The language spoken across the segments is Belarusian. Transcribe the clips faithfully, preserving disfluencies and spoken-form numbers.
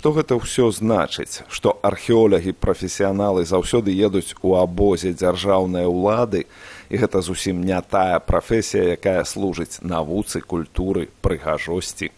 Што гэта ўсё значыць? Што археолагі-прафесіяналы заўсёды едуць у абозе дзяржаўнай улады, і гэта зусім не тая прафесія, якая служыць навуцы, культуры, прыгажосці.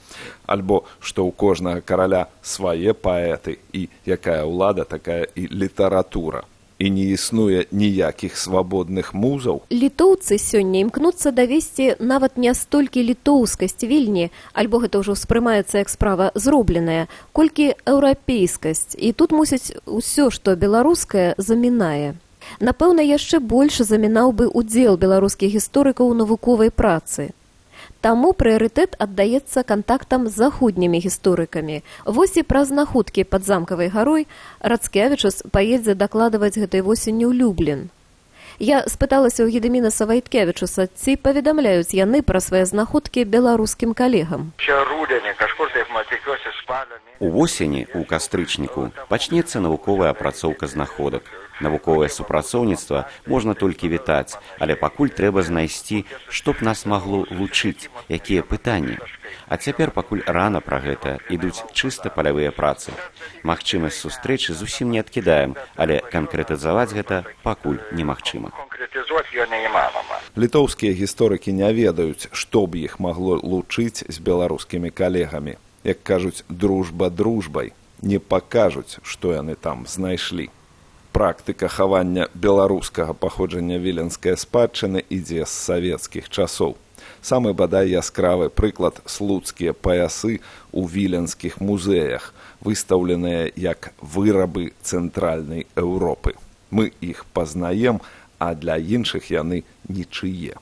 Альбо што ў кожнага караля свае паэты, і якая ўлада, такая і літаратура. І не існуе ніякіх свабодных музаў. Літоўцы сёння імкнуцца давесці нават не столькі літоўскасць Вільні, альбо гэта ўжо ўспрымаецца як справа зробленая, колькі еўрапейскасць. І тут, мусіць, усё, што беларускае, замінае. Напэўна, яшчэ больш замінаў бы удзел беларускіх гісторыкаў у навуковай працы. Таму прыярытэт аддаецца кантактам з заходнімі гісторыкамі. Вось і праз находкі пад замкавай гарой Рацкевічус паедзе дакладваць гэтай восенню ў Люблін. Я спыталася ў Гедымінаса Вайткевічуса, ці паведамляюць яны пра свае знаходкі беларускім калегам. Увосені, у кастрычніку, пачнецца навуковая апрацоўка знаходак. Навуковае супрацоўніцтва можна толькі вітаць, але пакуль трэба знайсці, што б нас магло лучыць, якія пытанні. А цяпер пакуль рана пра гэта, ідуць чыста палявыя працы. Магчымасць сустрэчы зусім не адкідаем, але канкрэтызаваць гэта пакуль немагчыма. Літоўскія гісторыкі не ведаюць, што б іх магло лучыць з беларускімі калегамі. Як кажуць, дружба дружбай. Не пакажуць, што яны там знайшлі. Практыка хавання беларускага паходжання віленскай спадчыны ідзе з савецкіх часоў. Самы бадай яскравы прыклад слуцкія паясы ў віленскіх музеях, выстаўленыя як вырабы цэнтральнай Еўропы. Мы іх пазнаем, а для іншых яны нічые.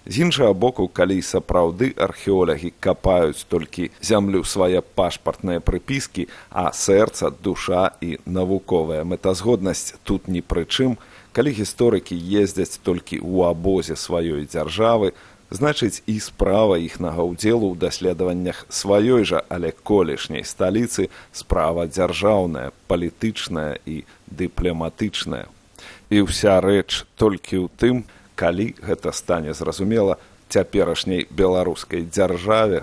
З іншага боку, калі сапраўды археолагі капаюць толькі зямлю свае пашпартныя прыпіскі, а сэрца, душа і навуковая мэтазгоднасць тут ні пры чым, калі гісторыкі ездзяць толькі ў абозе сваёй дзяржавы, значыць і справа іхнага ўдзелу ў даследаваннях сваёй жа, але колішняй сталіцы справа дзяржаўная, палітычная і дыпламатычная. І ўся рэч толькі ў тым, калі гэта стане зразумела цяперашняй беларускай дзяржаве,